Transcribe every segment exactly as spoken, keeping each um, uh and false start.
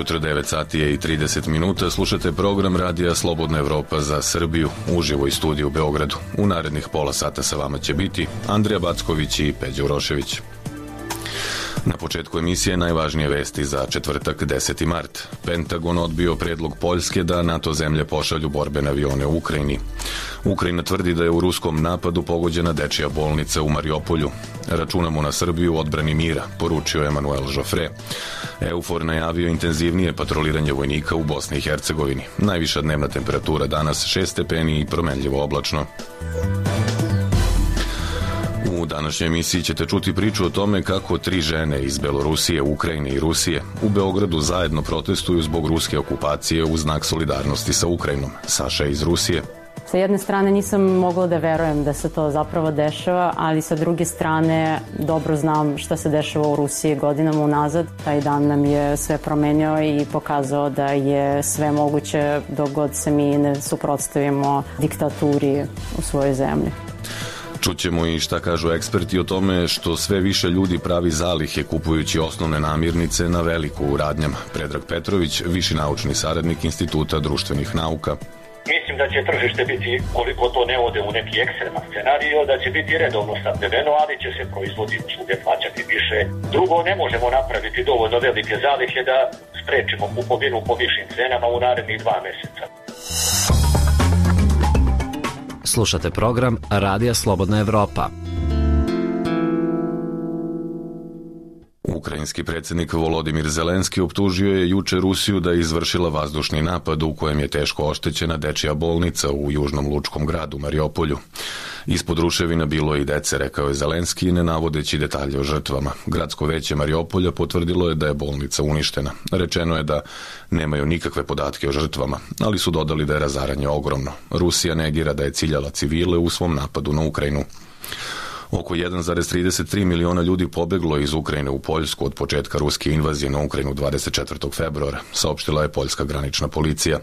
jutro, devet sati je i trideset minuta. Slušate program Radija Slobodna Evropa za Srbiju, uživo iz studija u Beogradu. U narednih pola sata sa vama će biti Andrija Backović i Peđa Urošević. Na početku emisije najvažnije vesti za četvrtak, deseti mart. Pentagon odbio predlog Poljske da NATO zemlje pošalju borbene avione u Ukrajini. Ukrajina tvrdi da je u ruskom napadu pogođena dečija bolnica u Mariupolju. Računamo na Srbiju u odbrani mira, poručio Emanuel Joffre. EUFOR najavio intenzivnije patroliranje vojnika u Bosni i Hercegovini. Najviša dnevna temperatura danas šest stepeni i promenljivo oblačno. U današnjoj emisiji ćete čuti priču o tome kako tri žene iz Belorusije, Ukrajine i Rusije u Beogradu zajedno protestuju zbog ruske okupacije u znak solidarnosti sa Ukrajinom. Saša je iz Rusije. Sa jedne strane nisam mogla da verujem da se to zapravo dešava, ali sa druge strane dobro znam šta se dešava u Rusiji godinama unazad. Taj dan nam je sve promenio i pokazao da je sve moguće dok god se mi ne suprotstavimo diktaturi u svojoj zemlji. Čućemo i šta kažu eksperti o tome što sve više ljudi pravi zalihe kupujući osnovne namirnice na veliko u radnjama. Predrag Petrović, viši naučni saradnik Instituta društvenih nauka. Mislim da će tržište biti, koliko to ne ode u neki ekstreman scenario, da će biti redovno snabdeveno, ali će se proizvodi svugde plaćati više. Drugo, ne možemo napraviti dovoljno velike zalihe da sprečimo kupovinu po višim cenama u narednih dva meseca. Slušate program Radija Slobodna Evropa. Ukrajinski predsjednik Volodimir Zelenski optužio je juče Rusiju da je izvršila vazdušni napad u kojem je teško oštećena dečija bolnica u južnom lučkom gradu Mariupolju. Ispod ruševina bilo je i dece, rekao je Zelenski, ne navodeći detalje o žrtvama. Gradsko veće Mariupolja potvrdilo je da je bolnica uništena. Rečeno je da nemaju nikakve podatke o žrtvama, ali su dodali da je razaranje ogromno. Rusija negira da je ciljala civile u svom napadu na Ukrajinu. Oko jedan zarez trideset tri miliona ljudi pobeglo iz Ukrajine u Poljsku od početka ruske invazije na Ukrajinu dvadeset četvrtog februara, saopštila je poljska granična policija.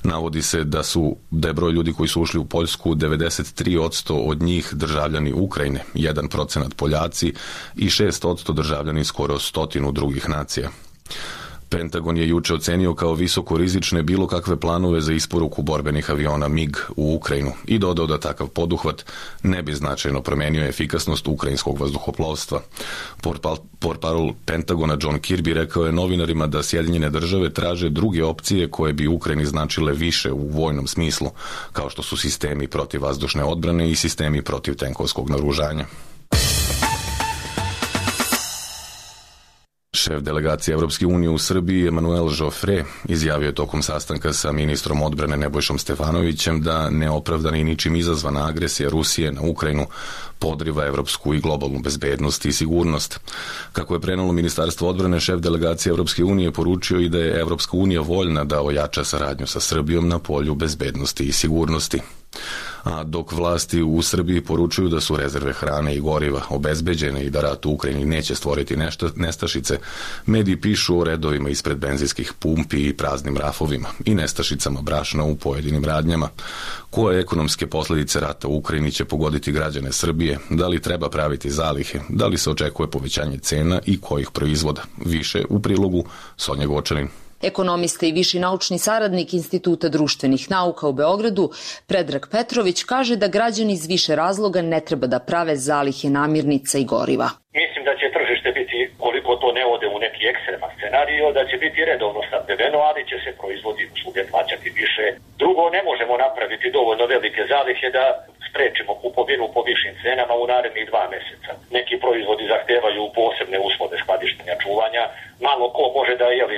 Navodi se da su da je broj ljudi koji su ušli u Poljsku devedeset tri posto od njih državljani Ukrajine, jedan procenat Poljaci i šest posto državljani skoro stotinu drugih nacija. Pentagon je juče ocenio kao visoko rizične bilo kakve planove za isporuku borbenih aviona MiG u Ukrajinu i dodao da takav poduhvat ne bi značajno promenio efikasnost ukrajinskog vazduhoplovstva. Portparol Pentagona John Kirby rekao je novinarima da Sjedinjene države traže druge opcije koje bi Ukrajini značile više u vojnom smislu, kao što su sistemi protivvazdušne odbrane i sistemi protiv tenkovskog naoružanja. Šef delegacije Evropske unije u Srbiji Emanuel Joffre izjavio je tokom sastanka sa ministrom odbrane Nebojšom Stefanovićem da neopravdana i ničim izazvana agresija Rusije na Ukrajinu podriva evropsku i globalnu bezbednost i sigurnost. Kako je prenelo Ministarstvo odbrane, šef delegacije Evropske unije poručio i da je Evropska unija voljna da ojača saradnju sa Srbijom na polju bezbednosti i sigurnosti. A dok vlasti u Srbiji poručuju da su rezerve hrane i goriva obezbeđene i da rat u Ukrajini neće stvoriti nešta, nestašice, mediji pišu o redovima ispred benzinskih pumpi i praznim rafovima i nestašicama brašna u pojedinim radnjama. Koje ekonomske posljedice rata u Ukrajini će pogoditi građane Srbije, da li treba praviti zalihe, da li se očekuje povećanje cena i kojih proizvoda. Više u prilogu Sonja Gočanin. Ekonomista i viši naučni saradnik Instituta društvenih nauka u Beogradu, Predrag Petrović, kaže da građani iz više razloga ne treba da prave zalihe namirnica i goriva. Mislim da će tržište biti, koliko to ne ode u neki ekstreman scenario, da će biti redovno snabdeveno, ali će se proizvodi svugde plaćati više. Drugo, ne možemo napraviti dovoljno velike zalihe da sprečimo kupovinu po višim cenama u narednih dva meseca. Neki proizvodi zahtevaju posebne uslove skladištenja, čuvanja. Malo ko može da jeli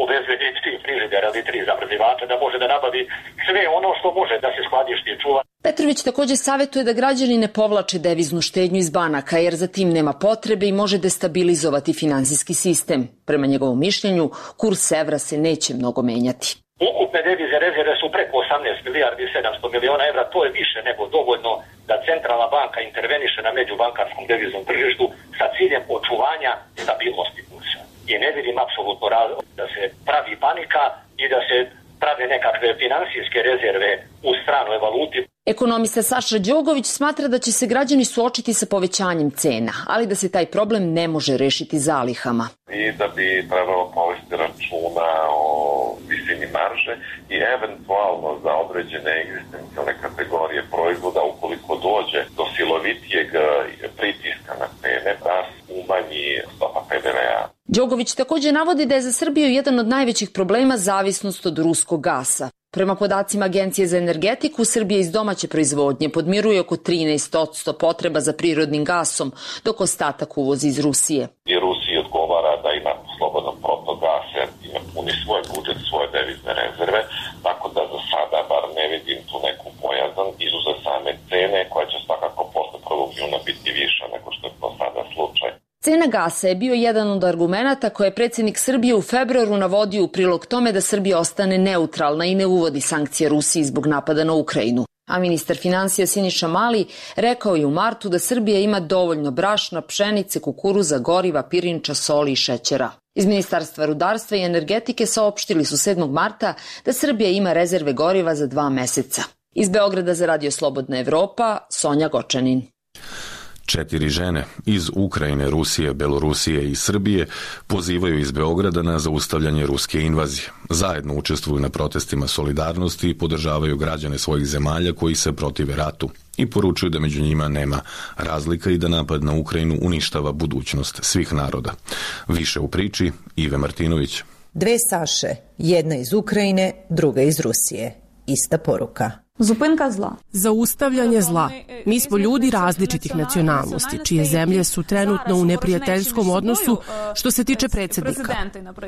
obezbedi tri frižidera ili tri zamrzivača, da može da nabavi sve ono što može da se skladišti i čuva. Petrović takođe savjetuje da građani ne povlače deviznu štednju iz banaka, jer za tim nema potrebe i može destabilizovati finansijski sistem. Prema njegovom mišljenju, kurs evra se neće mnogo menjati. Ukupne devize rezerve su preko osamnaest milijardi i sedamsto miliona evra, to je više nego dovoljno da centralna banka interveniše na međubankarskom deviznom tržištu sa ciljem očuvanja stabilnosti kursa. I ne vidim apsolutno razlog da se pravi panika i da se prave nekakve finansijske rezerve u stranoj valuti. Ekonomista Saša Đogović smatra da će se građani suočiti sa povećanjem cena, ali da se taj problem ne može rešiti zalihama. I da bi trebalo povesti računa o visini marže i eventualno za određene egzistencijalne kategorije proizvoda, ukoliko dođe do silovitijeg pritiska na cene, da umanji stopa pe de ve a. Đogović takođe navodi da je za Srbiju jedan od najvećih problema zavisnost od ruskog gasa. Prema podacima Agencije za energetiku, Srbija iz domaće proizvodnje podmiruje oko trinaest posto potreba za prirodnim gasom, dok ostatak uvozi iz Rusije. I Rusiji odgovara da ima slobodan protok gasa, ima puni svoj budžet, svoje devizne rezerve, tako da za sada bar ne vidim tu neku bojazan izuzev same cene, koja će svakako posle prvog juna biti viša nego što je to sada slučaj. Cena gasa je bio jedan od argumenata koje je predsjednik Srbije u februaru navodio u prilog tome da Srbija ostane neutralna i ne uvodi sankcije Rusiji zbog napada na Ukrajinu. A ministar finansija Siniša Mali rekao je u martu da Srbija ima dovoljno brašna, pšenice, kukuruza, goriva, pirinča, soli i šećera. Iz Ministarstva rudarstva i energetike saopštili su sedmog marta da Srbija ima rezerve goriva za dva meseca. Iz Beograda za Radio Slobodna Evropa, Sonja Gočanin. Četiri žene iz Ukrajine, Rusije, Belorusije i Srbije pozivaju iz Beograda na zaustavljanje ruske invazije. Zajedno učestvuju na protestima solidarnosti i podržavaju građane svojih zemalja koji se protive ratu i poručuju da među njima nema razlika i da napad na Ukrajinu uništava budućnost svih naroda. Više u priči Ive Martinović. Dve Saše, jedna iz Ukrajine, druga iz Rusije. Ista poruka. Zupinka zla. Zaustavljanje zla. Mi smo ljudi različitih nacionalnosti, čije zemlje su trenutno u neprijateljskom odnosu što se tiče predsjednika.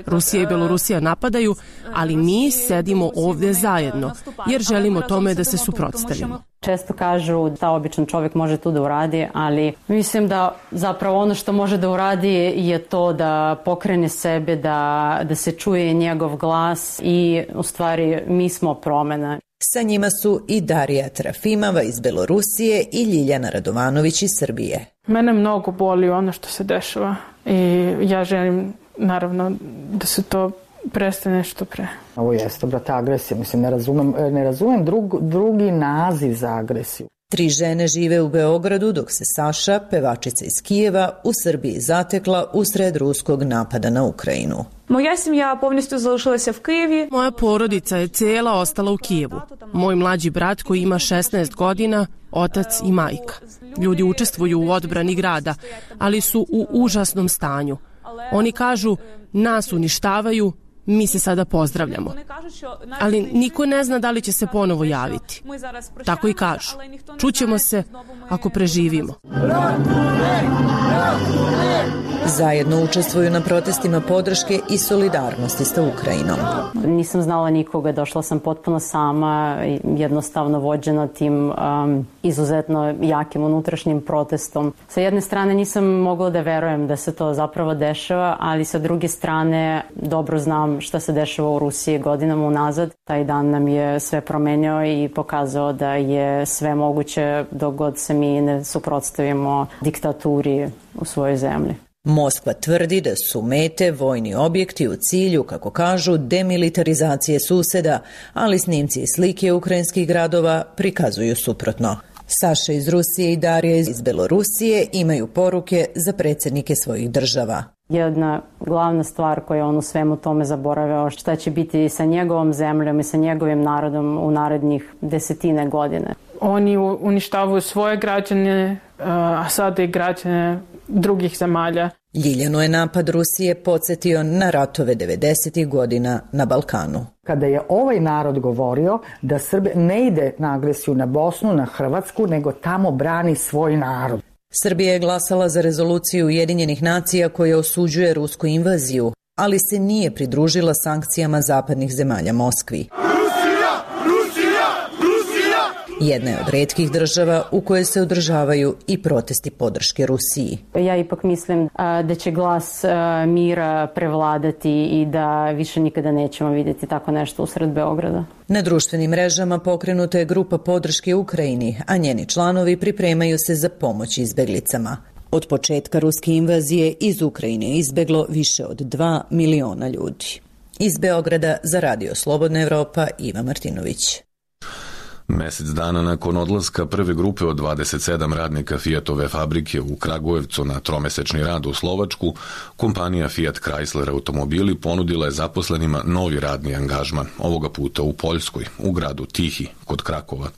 Rusija i Belorusija napadaju, ali mi sedimo ovdje zajedno, jer želimo tome da se suprotstavimo. Često kažu da običan čovjek može tu da uradi, ali mislim da zapravo ono što može da uradi je to da pokrene sebe, da, da se čuje njegov glas i u stvari mi smo promena. Sa njima su i Darija Trafimova iz Belorusije i Ljiljana Radovanović iz Srbije. Mene mnogo boli ono što se dešava i ja želim naravno da se to prestane što pre. Ovo jeste, brate, agresija. Mislim, ne razumem, ne razumem drug, drugi naziv za agresiju. Tri žene žive u Beogradu, dok se Saša, pevačica iz Kijeva, u Srbiji zatekla usred ruskog napada na Ukrajinu. Moja semja повністю залишилася в Києві. Moja porodica je cijela ostala u Kijevu. Moj mlađi brat koji ima šesnaest godina, otac i majka. Ljudi učestvuju u odbrani grada, ali su u užasnom stanju. Oni kažu, nas uništavaju, mi se sada pozdravljamo. Ali niko ne zna da li će se ponovo javiti. Tako i kažu. Čućemo se ako preživimo. Zajedno učestvuju na protestima podrške i solidarnosti sa Ukrajinom. Nisam znala nikoga, došla sam potpuno sama, jednostavno vođena tim um, izuzetno jakim unutrašnjim protestom. Sa jedne strane nisam mogla da verujem da se to zapravo dešava, ali sa druge strane dobro znam šta se dešava u Rusiji godinama unazad. Taj dan nam je sve promenio i pokazao da je sve moguće dok god se mi ne suprotstavimo diktaturi u svojoj zemlji. Moskva tvrdi da su mete vojni objekti u cilju, kako kažu, demilitarizacije suseda, ali snimci i slike ukrajinskih gradova prikazuju suprotno. Saša iz Rusije i Darija iz Belorusije imaju poruke za predsjednike svojih država. Jedna glavna stvar koja je on u svemu tome zaboravio, šta će biti sa njegovom zemljom i sa njegovim narodom u narednih desetine godine. Oni uništavaju svoje građane, a sada i građane drugih zemalja. Ljiljanu je napad Rusije podsjetio na ratove devedesetih godina na Balkanu. Kada je ovaj narod govorio da Srbija ne ide na agresiju na Bosnu, na Hrvatsku, nego tamo brani svoj narod. Srbija je glasala za rezoluciju Ujedinjenih nacija koja osuđuje rusku invaziju, ali se nije pridružila sankcijama zapadnih zemalja Moskvi. Jedna je od retkih država u kojoj se održavaju i protesti podrške Rusiji. Ja ipak mislim da će glas mira prevladati i da više nikada nećemo vidjeti tako nešto usred Beograda. Na društvenim mrežama pokrenuta je grupa podrške Ukrajini, a njeni članovi pripremaju se za pomoć izbeglicama. Od početka ruske invazije iz Ukrajine je izbeglo više od dva miliona ljudi. Iz Beograda za Radio Slobodna Evropa, Iva Martinović. Mesec dana nakon odlaska prve grupe od dvadeset sedam radnika Fiatove fabrike u Kragujevcu na tromesečni rad u Slovačku, kompanija Fiat Chrysler automobili ponudila je zaposlenima novi radni angažman, ovoga puta u Poljskoj, u gradu Tihi, kod Krakova.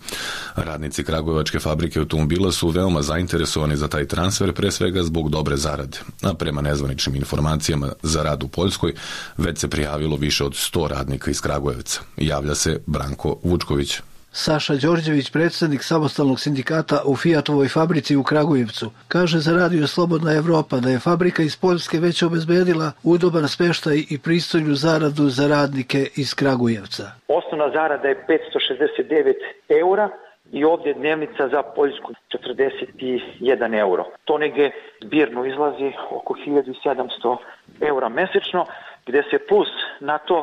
Radnici Kragujevačke fabrike automobila su veoma zainteresovani za taj transfer, pre svega zbog dobre zarade, a prema nezvaničnim informacijama za rad u Poljskoj već se prijavilo više od sto radnika iz Kragujevca. Javlja se Branko Vučković. Saša Đorđević, predsednik samostalnog sindikata u Fiatovoj fabrici u Kragujevcu, kaže za Radio Slobodna Evropa da je fabrika iz Poljske već obezbedila udoban smeštaj i pristojnu zaradu za radnike iz Kragujevca. Osnovna zarada je petsto šezdeset devet eura i ovdje dnevnica za Poljsku četrdeset jedan euro. To negdje zbirno izlazi oko hiljadu sedamsto eura mesečno, gdje se plus na to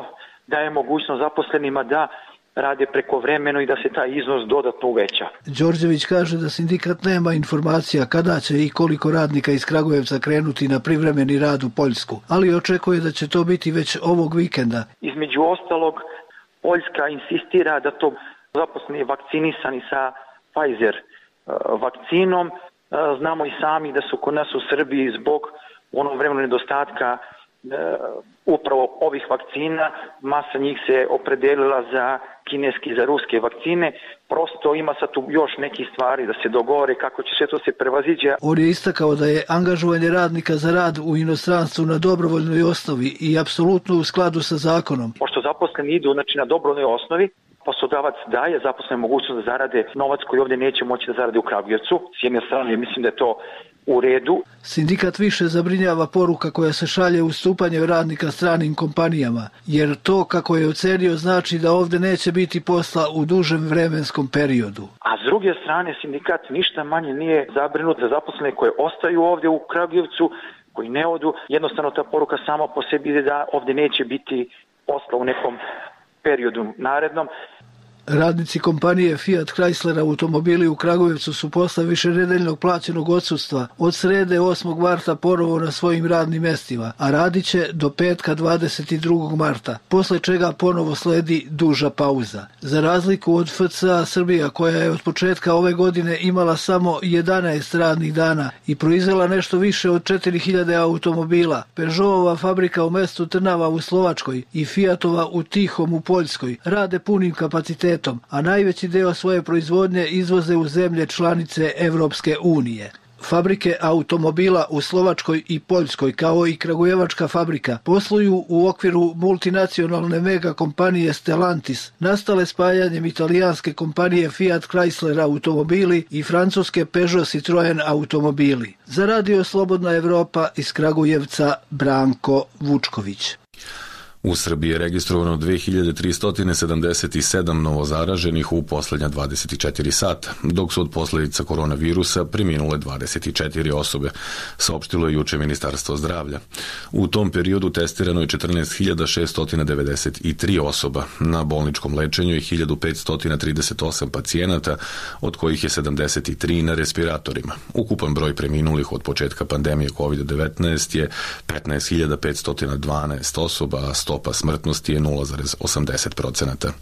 daje mogućnost zaposlenima da rade prekovremeno i da se taj iznos dodatno uveća. Đorđević kaže da sindikat nema informacija kada će i koliko radnika iz Kragujevca krenuti na privremeni rad u Poljsku, ali očekuje da će to biti već ovog vikenda. Između ostalog, Poljska insistira da to zaposleni vakcinisani sa Pfizer vakcinom. Znamo i sami da su kod nas u Srbiji zbog onog vremena nedostatka upravo ovih vakcina, masa njih se opredelila za kineski, za ruske vakcine. Prosto ima sad tu još nekih stvari da se dogovore kako će sve to se prevaziđe. On je istakao da je angažovanje radnika za rad u inostranstvu na dobrovoljnoj osnovi i apsolutno u skladu sa zakonom. Pošto zaposleni idu znači, na dobrovoljnoj osnovi, poslodavac daje zaposlene mogućnost da zarade novac koji ovdje neće moći da zarade u Kragujevcu. S jedne strane mislim da je to u redu. Sindikat više zabrinjava poruka koja se šalje ustupanjem radnika stranim kompanijama, jer to, kako je ocenio, znači da ovdje neće biti posla u dužem vremenskom periodu. A s druge strane, sindikat ništa manje nije zabrinut za zaposlene koje ostaju ovdje u Kragujevcu, koji ne odu. Jednostavno ta poruka sama po sebi je da ovdje neće biti posla u nekom periodu narednom. Radnici kompanije Fiat Chrysler automobili u Kragujevcu su posle višenedeljnog plaćenog odsustva od srede osmog marta ponovo na svojim radnim mestima, a radit će do petka dvadeset drugog marta, posle čega ponovo sledi duža pauza. Za razliku od F C A Srbija, koja je od početka ove godine imala samo jedanaest radnih dana i proizvela nešto više od četiri hiljade automobila, Peugeotova fabrika u mestu Trnava u Slovačkoj i Fiatova u Tihom u Poljskoj rade punim kapacitetom, a najveći deo svoje proizvodnje izvoze u zemlje članice Evropske unije. Fabrike automobila u Slovačkoj i Poljskoj, kao i Kragujevačka fabrika, posluju u okviru multinacionalne mega kompanije Stellantis, nastale spajanjem italijanske kompanije Fiat Chrysler automobili i francuske Peugeot Citroen automobili. Za Radio Slobodna Evropa iz Kragujevca, Branko Vučković. U Srbiji je registrovano dve hiljade tristo sedamdeset sedam novozaraženih u poslednja dvadeset četiri sata, dok su od posljedica koronavirusa preminule dvadeset četiri osobe, saopštilo je juče Ministarstvo zdravlja. U tom periodu testirano je četrnaest hiljada šeststo devedeset tri osoba, na bolničkom lečenju je hiljadu petsto trideset osam pacijenata, od kojih je sedamdeset tri na respiratorima. Ukupan broj preminulih od početka pandemije kovid devetnaest je petnaest hiljada petsto dvanaest osoba, a stopa smrtnosti je nula zarez osamdeset procenata.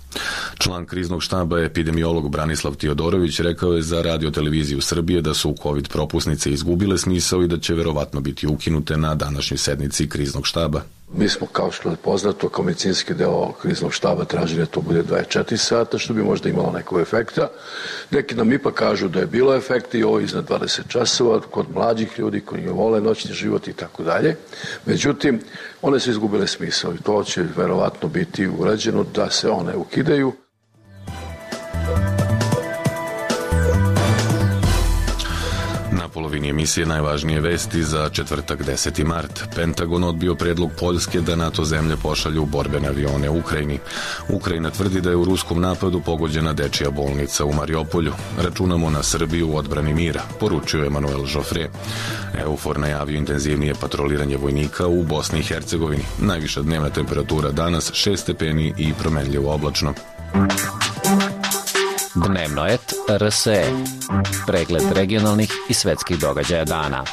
Član kriznog štaba, epidemiolog Branislav Tiodorović, rekao je za Radio televiziju Srbije da su COVID propusnice izgubile smisao i da će verovatno biti ukinute na današnjoj sednici kriznog štaba. Mi smo, kao što je poznato, kao medicinski deo kriznog štaba tražili da to bude dvadeset četiri sata, što bi možda imalo nekog efekta. Neki nam ipak kažu da je bilo efekta i ovo iznad dvadeset časova, kod mlađih ljudi koji vole noćni život i tako dalje. Međutim, one su izgubile smisao i to će verovatno biti urađeno da se one ukidaju. Na polovini emisije najvažnije vesti za četvrtak deseti mart. Pentagon odbio predlog Poljske da NATO zemlje pošalju borbene avione u Ukrajini. Ukrajina tvrdi da je u ruskom napadu pogođena dečija bolnica u Mariopolju. Računamo na Srbiju u odbrani mira, poručio Emanuel Joffre. EUFOR najavio intenzivnije patroliranje vojnika u Bosni i Hercegovini. Najviša dnevna temperatura danas šest stepeni i promenljivo oblačno. Dnevnoet R S E. Pregled regionalnih i svetskih događaja dana.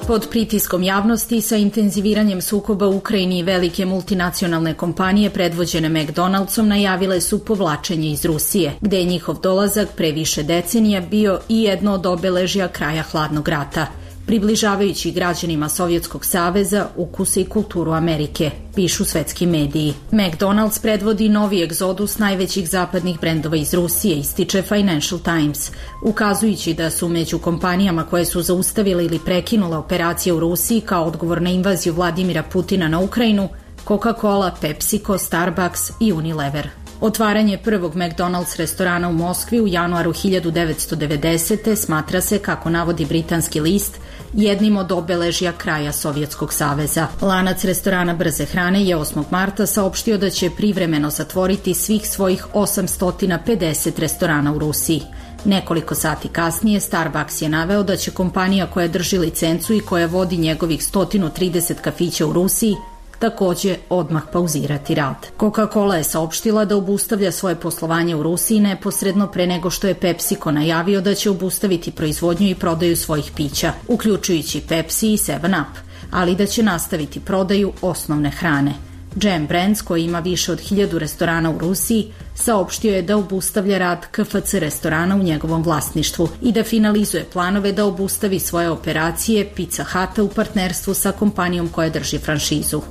Pod pritiskom javnosti sa intenziviranjem sukoba u Ukrajini, velike multinacionalne kompanije predvođene McDonald'som najavile su povlačenje iz Rusije, gde je njihov dolazak pre više decenija bio i jedno od obeležja kraja hladnog rata, približavajući građanima Sovjetskog saveza ukuse i kulturu Amerike, pišu svetski mediji. McDonald's predvodi novi egzodus najvećih zapadnih brendova iz Rusije, ističe Financial Times, ukazujući da su među kompanijama koje su zaustavile ili prekinule operacije u Rusiji kao odgovor na invaziju Vladimira Putina na Ukrajinu Coca-Cola, PepsiCo, Starbucks i Unilever. Otvaranje prvog McDonald's restorana u Moskvi u januaru hiljadu devetsto devedesete. smatra se, kako navodi britanski list, jednim od obeležja kraja Sovjetskog saveza. Lanac restorana brze hrane je osmog marta saopštio da će privremeno zatvoriti svih svojih osamsto pedeset restorana u Rusiji. Nekoliko sati kasnije Starbucks je naveo da će kompanija koja drži licencu i koja vodi njegovih sto trideset kafića u Rusiji takođe odmah pauzirati rad. Coca-Cola je saopštila da obustavlja svoje poslovanje u Rusiji neposredno pre nego što je PepsiCo najavio da će obustaviti proizvodnju i prodaju svojih pića, uključujući Pepsi i seven up, ali da će nastaviti prodaju osnovne hrane. Jam Brands, koji ima više od hiljadu restorana u Rusiji, saopštio je da obustavlja rad K F C restorana u njegovom vlasništvu i da finalizuje planove da obustavi svoje operacije Pizza Huta u partnerstvu sa kompanijom koja drži franšizu.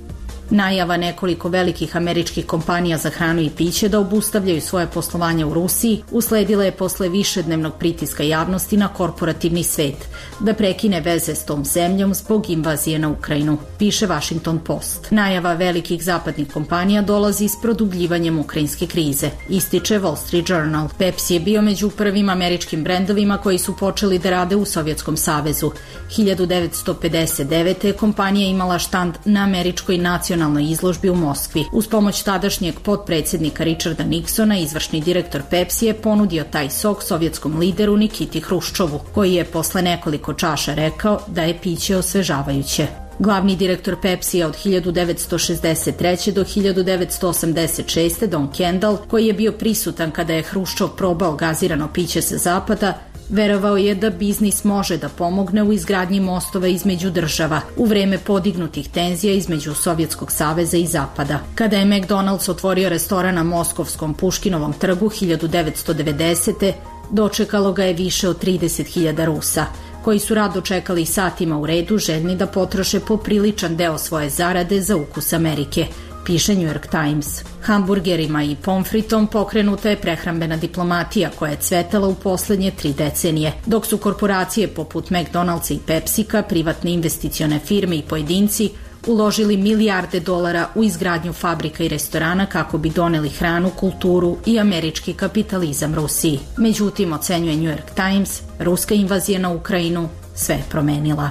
Najava nekoliko velikih američkih kompanija za hranu i piće da obustavljaju svoje poslovanje u Rusiji usledila je posle višednevnog pritiska javnosti na korporativni svet da prekine veze s tom zemljom zbog invazije na Ukrajinu, piše Washington Post. Najava velikih zapadnih kompanija dolazi s produbljivanjem ukrajinske krize, ističe Wall Street Journal. Pepsi je bio među prvim američkim brendovima koji su počeli da rade u Sovjetskom savezu. hiljadu devetsto pedeset devete. kompanija imala štand na američkoj nacionalnoj izložbi u Moskvi. Uz pomoć tadašnjeg potpredsednika Richarda Nixona, izvršni direktor Pepsi je ponudio taj sok sovjetskom lideru Nikiti Hruščovu, koji je posle nekoliko čaša rekao da je piće osvežavajuće. Glavni direktor Pepsija od hiljadu devetsto šezdeset treće. do hiljadu devetsto osamdeset šeste. Don Kendall, koji je bio prisutan kada je Hruščov probao gazirano piće sa zapada, verovao je da biznis može da pomogne u izgradnji mostova između država u vreme podignutih tenzija između Sovjetskog saveza i Zapada. Kada je McDonald's otvorio restoran na moskovskom Puškinovom trgu hiljadu devetsto devedesete. dočekalo ga je više od trideset hiljada Rusa, koji su rado čekali satima u redu, željni da potroše popriličan deo svoje zarade za ukus Amerike, piše New York Times. Hamburgerima i pomfritom pokrenuta je prehrambena diplomatija koja je cvetala u poslednje tri decenije, dok su korporacije poput McDonald'sa i Pepsika, privatne investicione firme i pojedinci uložili milijarde dolara u izgradnju fabrika i restorana kako bi doneli hranu, kulturu i američki kapitalizam Rusiji. Međutim, ocenjuje New York Times, ruska invazija na Ukrajinu sve je promenila.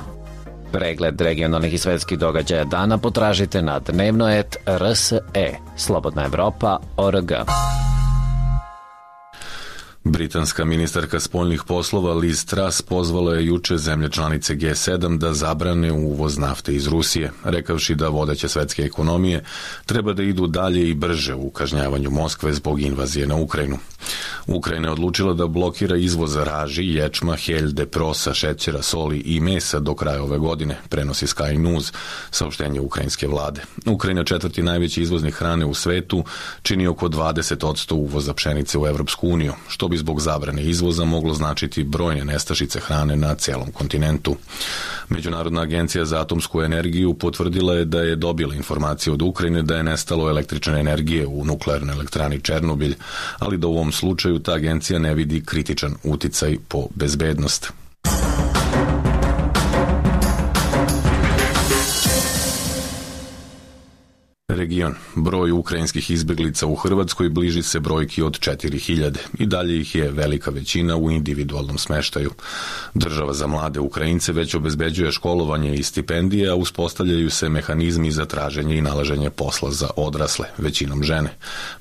Pregled regionalnih i svetskih događaja dana potražite na dnevnoet R S E, Slobodna Evropa, O R G. Britanska ministarka spoljnih poslova Liz Truss pozvala je juče zemlje članice G sedam da zabrane uvoz nafte iz Rusije, rekavši da vodeće svetske ekonomije treba da idu dalje i brže u kažnjavanju Moskve zbog invazije na Ukrajinu. Ukrajina je odlučila da blokira izvoz raži, ječma, heljde, prosa, šećera, soli i mesa do kraja ove godine, prenosi Sky News, saopštenje ukrajinske vlade. Ukrajina, četvrti najveći izvoznik hrane u svetu, čini oko dvadeset posto uvoza pšenice u Evropsku uniju, što bi zbog zabrane izvoza moglo značiti brojne nestašice hrane na celom kontinentu. Međunarodna agencija za atomsku energiju potvrdila je da je dobila informacije od Ukrajine da je nestalo električne energije u nuklearnoj elektrani Černobilj, ali da u ovom slučaju ta agencija ne vidi kritičan uticaj po bezbednost. Region. Broj ukrajinskih izbeglica u Hrvatskoj bliži se brojki od četiri hiljade i dalje ih je velika većina u individualnom smeštaju. Država za mlade Ukrajince već obezbeđuje školovanje i stipendije, a uspostavljaju se mehanizmi za traženje i nalaženje posla za odrasle, većinom žene.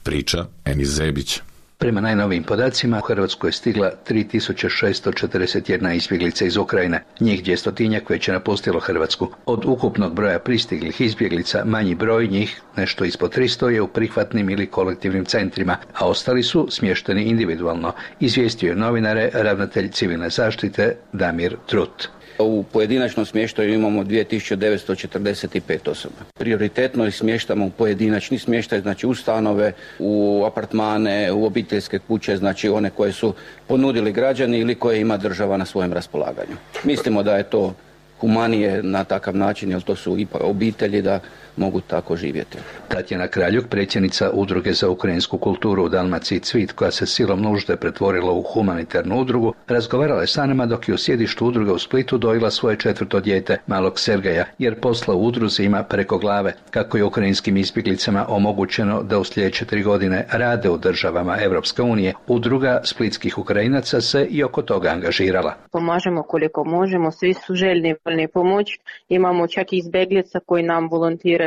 Priča Enis Zebić. Prema najnovijim podacima, u Hrvatsku je stigla tri tisuće šesto četrdeset jedna izbjeglica iz Ukrajine. Njih dvjestotinjak već je napustilo Hrvatsku. Od ukupnog broja pristiglih izbjeglica, manji broj njih, nešto ispod tristo, je u prihvatnim ili kolektivnim centrima, a ostali su smješteni individualno, izvijestio je novinare ravnatelj civilne zaštite Damir Trut. U pojedinačnom smještaju imamo dvije tisuće devetsto četrdeset pet osoba. Prioritetno ih smještamo u pojedinačni smještaj, znači u stanove, u apartmane, u obiteljske kuće, znači one koje su ponudili građani ili koje ima država na svojem raspolaganju. Mislimo da je to humanije na takav način, jer to su ipak obitelji da mogu tako živjeti. Tatjana Kraljuk, predsjednica Udruge za ukrajinsku kulturu u Dalmaciji Cvit, koja se silom nužde pretvorila u humanitarnu udrugu, razgovarala je sa nama dok je u sjedištu udruge u Splitu dojila svoje četvrto dijete, malog Sergeja, jer posla u udruzi ima preko glave. Kako je ukrajinskim izbjeglicama omogućeno da u sljedeće tri godine rade u državama Europske unije, udruga splitskih Ukrajinaca se i oko toga angažirala. Pomažemo koliko možemo, svi su željni voljni pomoć. Imamo čak i izbjeglica koji nam volontiraju.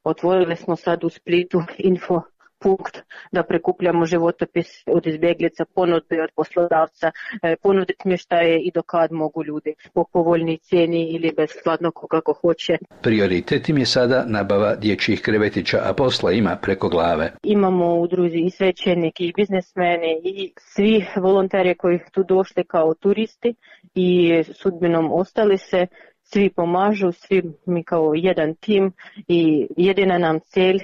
Otvorili smo sad u Splitu info punkt da prikupljamo životopis od izbjeglica, ponudbe od poslodavca, ponuditi smještaje i do kad mogu ljudi po povoljnoj cijeni ili besplatno kako hoće. Prioritet im je sada nabava dječjih krevetića, a posla ima preko glave. Imamo u udruzi i svećenike i biznesmeni i svi volonteri koji tu došli kao turisti i sudbinom ostali se. Svi pomažu, svi mi kao jedan tim i jedina nam cilj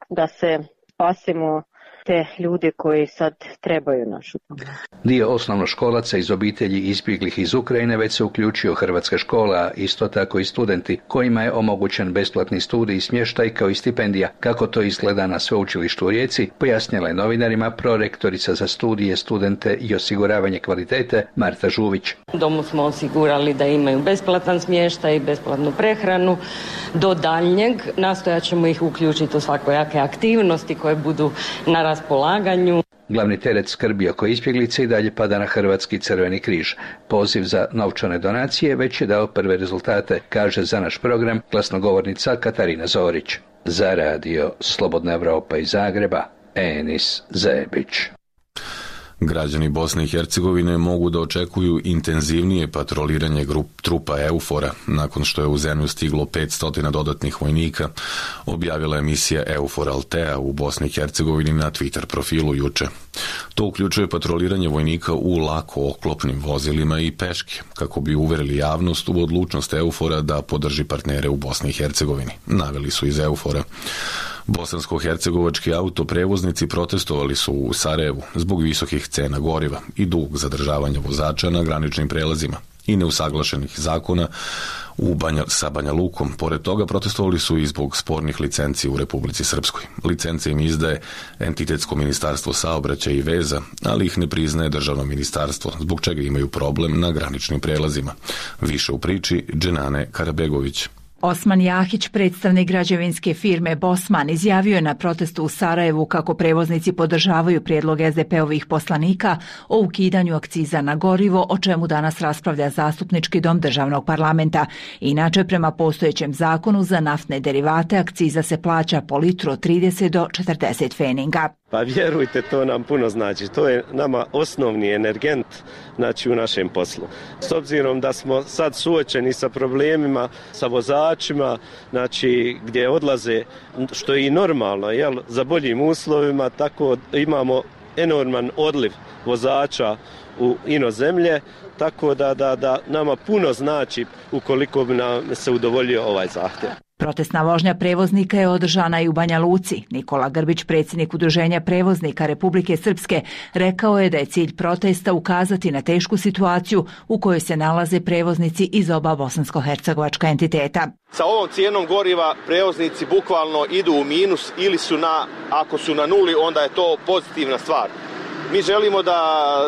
da se spasimo te ljude koji sad trebaju našu pomoć. Dio osnovnoškolaca iz obitelji izbjeglih iz Ukrajine već se uključio Hrvatska škola, a isto tako i studenti kojima je omogućen besplatni studij i smještaj kao i stipendija. Kako to izgleda na sveučilištu u Rijeci, pojasnila je novinarima prorektorica za studije, studente i osiguravanje kvalitete Marta Žuvić. Domu smo osigurali da imaju besplatan smještaj i besplatnu prehranu. Do daljnjeg nastojat ćemo ih uključiti u svakojake aktivnosti koje budu na raspolaganju. Glavni teret skrbi oko izbjeglice i dalje pada na Hrvatski crveni križ. Poziv za novčane donacije već je dao prve rezultate, kaže za naš program glasnogovornica Katarina Zorić. Za radio Slobodna Evropa iz Zagreba, Enis Zebić. Građani Bosne i Hercegovine mogu da očekuju intenzivnije patroliranje grup trupa EUFOR-a nakon što je u zemlju stiglo petsto dodatnih vojnika, objavila emisija EUFOR Altea u Bosni i Hercegovini na Twitter profilu juče. To uključuje patroliranje vojnika u lako oklopnim vozilima i peške, kako bi uverili javnost u odlučnost EUFOR-a da podrži partnere u Bosni i Hercegovini, naveli su iz EUFOR-a. Bosansko-hercegovački autoprevoznici protestovali su u Sarajevu zbog visokih cena goriva i dugog zadržavanja vozača na graničnim prelazima i neusaglašenih zakona u Banja, sa Banja Lukom. Pored toga protestovali su i zbog spornih licenci u Republici Srpskoj. Licence im izdaje Entitetsko ministarstvo saobraćaja i veza, ali ih ne priznaje državno ministarstvo, zbog čega imaju problem na graničnim prelazima. Više u priči Dženane Karabegović. Osman Jahić, predstavnik građevinske firme Bosman, izjavio je na protestu u Sarajevu kako prevoznici podržavaju prijedlog es de pe-ovih poslanika o ukidanju akciza na gorivo, o čemu danas raspravlja Zastupnički dom državnog parlamenta. Inače, prema postojećem zakonu za naftne derivate akciza se plaća po litru od trideset do četrdeset feninga. Pa vjerujte, to nam puno znači. To je nama osnovni energent, znači, u našem poslu. S obzirom da smo sad suočeni sa problemima, sa vozačima, znači, gdje odlaze, što je i normalno, jel, za boljim uslovima, tako imamo enorman odliv vozača u inozemlje, tako da, da, da nama puno znači ukoliko bi nam se udovoljio ovaj zahtjev. Protestna vožnja prevoznika je održana i u Banja Luci. Nikola Grbić, predsjednik Udruženja prevoznika Republike Srpske, rekao je da je cilj protesta ukazati na tešku situaciju u kojoj se nalaze prevoznici iz oba bosansko-hercegovačka entiteta. Sa ovom cijenom goriva prevoznici bukvalno idu u minus ili su na, ako su na nuli, onda je to pozitivna stvar. Mi želimo da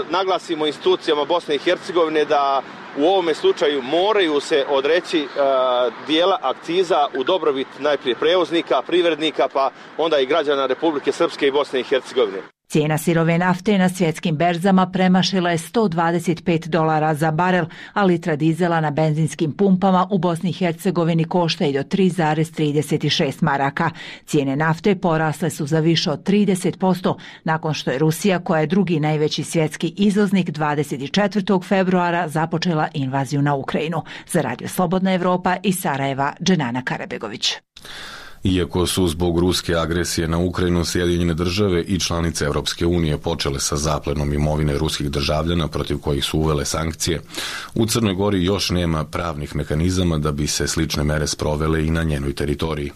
naglasimo institucijama Bosne i Hercegovine da u ovome slučaju moraju se odreći uh, dijela akciza u dobrobit najprije prevoznika, privrednika, pa onda i građana Republike Srpske i Bosne i Hercegovine. Cijena sirove nafte na svjetskim berzama premašila je sto dvadeset pet dolara za barel, a litra dizela na benzinskim pumpama u Bosni i Hercegovini košta i do tri zarez trideset šest maraka. Cijene nafte porasle su za više od trideset posto nakon što je Rusija, koja je drugi najveći svjetski izvoznik, dvadeset četvrtog februara započela invaziju na Ukrajinu. Za radio Slobodna Evropa iz Sarajeva, Dženana Karabegović. Iako su zbog ruske agresije na Ukrajinu Sjedinjene države i članice Europske unije počele sa zaplenom imovine ruskih državljana protiv kojih su uvele sankcije, u Crnoj Gori još nema pravnih mehanizama da bi se slične mere sprovele i na njenoj teritoriji.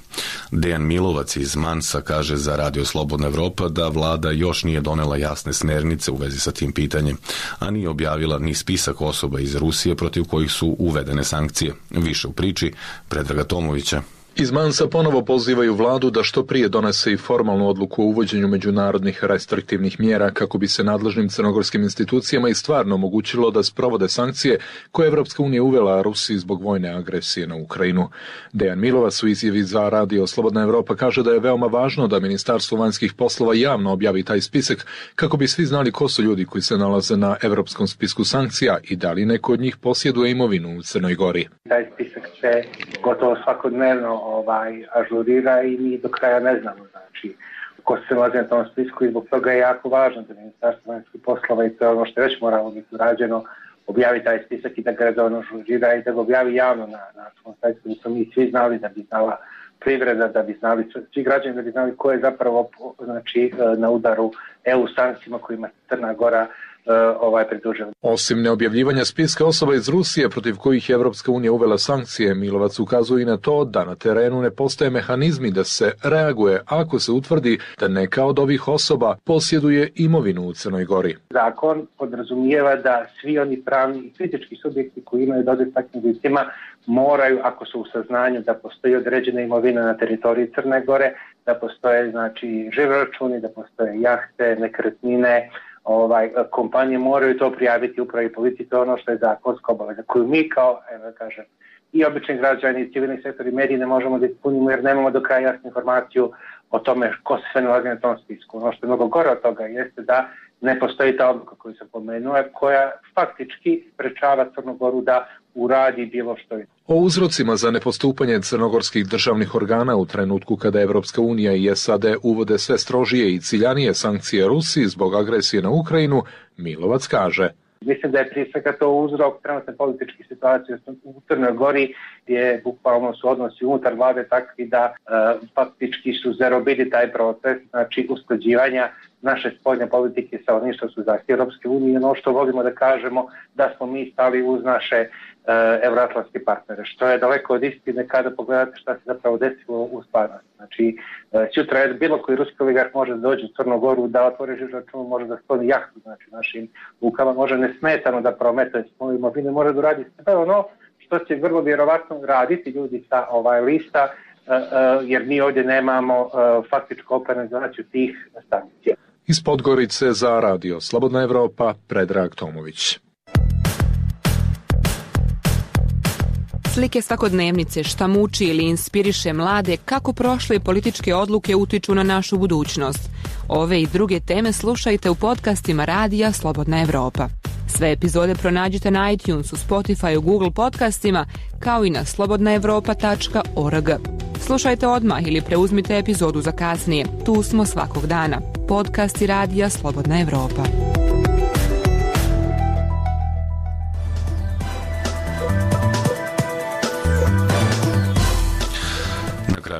Dejan Milovac iz Mansa kaže za Radio Slobodna Evropa da vlada još nije donela jasne smernice u vezi sa tim pitanjem, a nije objavila ni spisak osoba iz Rusije protiv kojih su uvedene sankcije. Više u priči Predraga Tomovića. Iz Mansa ponovo pozivaju vladu da što prije donese i formalnu odluku o uvođenju međunarodnih restriktivnih mjera kako bi se nadležnim crnogorskim institucijama i stvarno omogućilo da sprovode sankcije koje je Evropska unija uvela Rusiji zbog vojne agresije na Ukrajinu. Dejan Milovac u izjavi za Radio Slobodna Evropa kaže da je veoma važno da Ministarstvo vanjskih poslova javno objavi taj spisak kako bi svi znali ko su ljudi koji se nalaze na evropskom spisku sankcija i da li neko od njih posjeduje imovinu u Crnoj Gori. Taj spisak se gotovo svakodnevno ovaj, ažurira i mi do kraja ne znamo, znači, ko se nalazi na tom spisku i zbog toga je jako važno da Ministarstvo vanjskih poslova i to je ono što je već moralo biti urađeno, objavi taj spisak i da ga redovno ažurira i da ga objavi javno na, na svom sajtu, da smo mi svi znali, da bi znala privreda, da bi znali svi građani, da bi znali ko je zapravo znači, na udaru E U sankcijama kojima Crna Gora ovaj pridružen. Osim neobjavljivanja spiska osoba iz Rusije protiv kojih je Evropska unija uvela sankcije, Milovac ukazuje i na to da na terenu ne postoje mehanizmi da se reaguje ako se utvrdi da neka od ovih osoba posjeduje imovinu u Crnoj Gori. Zakon podrazumijeva da svi oni pravni i fizički subjekti koji imaju dodir takvim licima moraju, ako su u saznanju da postoji određena imovina na teritoriji Crne Gore, da postoje znači živi računi, da postoje jahte, nekretnine, ovaj, kompanije moraju to prijaviti upravi policiji, to je ono što je zakonska obaveza koju mi kao, evo kažem, i obični građani i civilni sektor i mediji ne možemo da ispunimo jer nemamo do kraja jasnu informaciju o tome ko se sve nalazi na tom spisku. Ono što je mnogo gore od toga jeste da ne postoji ta odluka koju sam pomenuo, koja faktički sprečava Crnu Goru da uradi bilo što je. O uzrocima za nepostupanje crnogorskih državnih organa u trenutku kada Evropska unija i S A D uvode sve strožije i ciljanije sankcije Rusiji zbog agresije na Ukrajinu, Milovac kaže: Mislim da je prije svega to uzrok trenutne političke situacije u Crnoj Gori gdje bukvalno su odnosi unutar vlade takvi da e, faktički su zarobili taj proces, znači usklađivanja naše spoljne politike sa onim što su zahtjevi Europske unije, ono što volimo da kažemo da smo mi stali uz naše e, evroatlantske partnere, što je daleko od istine kada pogledate šta se zapravo desilo u stvarnosti. Znači, e, sutra je bilo koji ruski oligarh može da dođe u Crnu Goru, da otvori živ račun, može da skloni jahtu, znači našim lukama, može nesmetano da prometuje svoju imovinu, može da uradi sve ono što će vrlo vjerovatno raditi ljudi sa ovaj lista, e, e, jer mi ovdje nemamo e, faktičku operacionalizaciju tih sankcija. Iz Podgorice za Radio Slobodna Evropa, Predrag Tomović. Slike svakodnevnice, šta muči ili inspiriše mlade, kako prošle političke odluke utiču na našu budućnost. Ove i druge teme slušajte u podcastima Radija Slobodna Evropa. Sve epizode pronađite na iTunesu, Spotifyu, Google podcastima, kao i na slobodna evropa tačka org. Slušajte odmah ili preuzmite epizodu za kasnije. Tu smo svakog dana. Podcasti Radija Slobodna Evropa.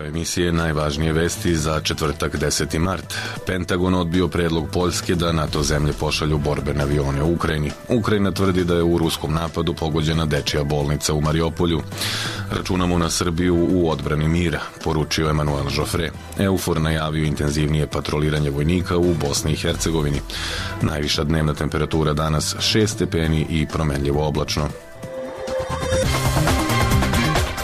Emisije najvažnije vesti za četvrtak deseti mart. Pentagon odbio predlog Poljske da NATO zemlje pošalju borbene avione u Ukrajini. Ukrajina tvrdi da je u ruskom napadu pogođena dečija bolnica u Mariopolju. Računamo na Srbiju u odbrani mira, poručio Emanuel Joffre. EUFOR najavio intenzivnije patroliranje vojnika u Bosni i Hercegovini. Najviša dnevna temperatura danas šest stepeni i promenljivo oblačno.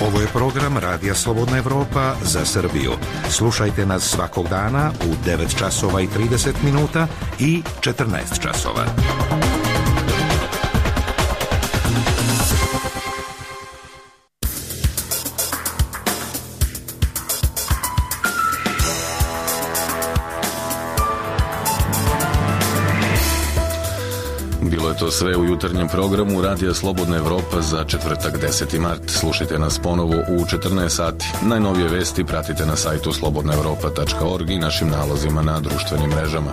Ovo je program Radija Slobodna Evropa za Srbiju. Slušajte nas svakog dana u devet časova i trideset minuta i četrnaest časova. Bilo je to sve u jutarnjem programu Radija Slobodna Evropa za četvrtak deseti mart. Slušajte nas ponovo u četrnaest sati. Najnovije vesti pratite na sajtu slobodna evropa tačka org i našim nalozima na društvenim mrežama.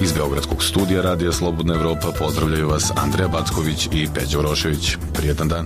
Iz Beogradskog studija Radija Slobodna Evropa pozdravljaju vas Andreja Backović i Peđa Urošević. Prijetan dan.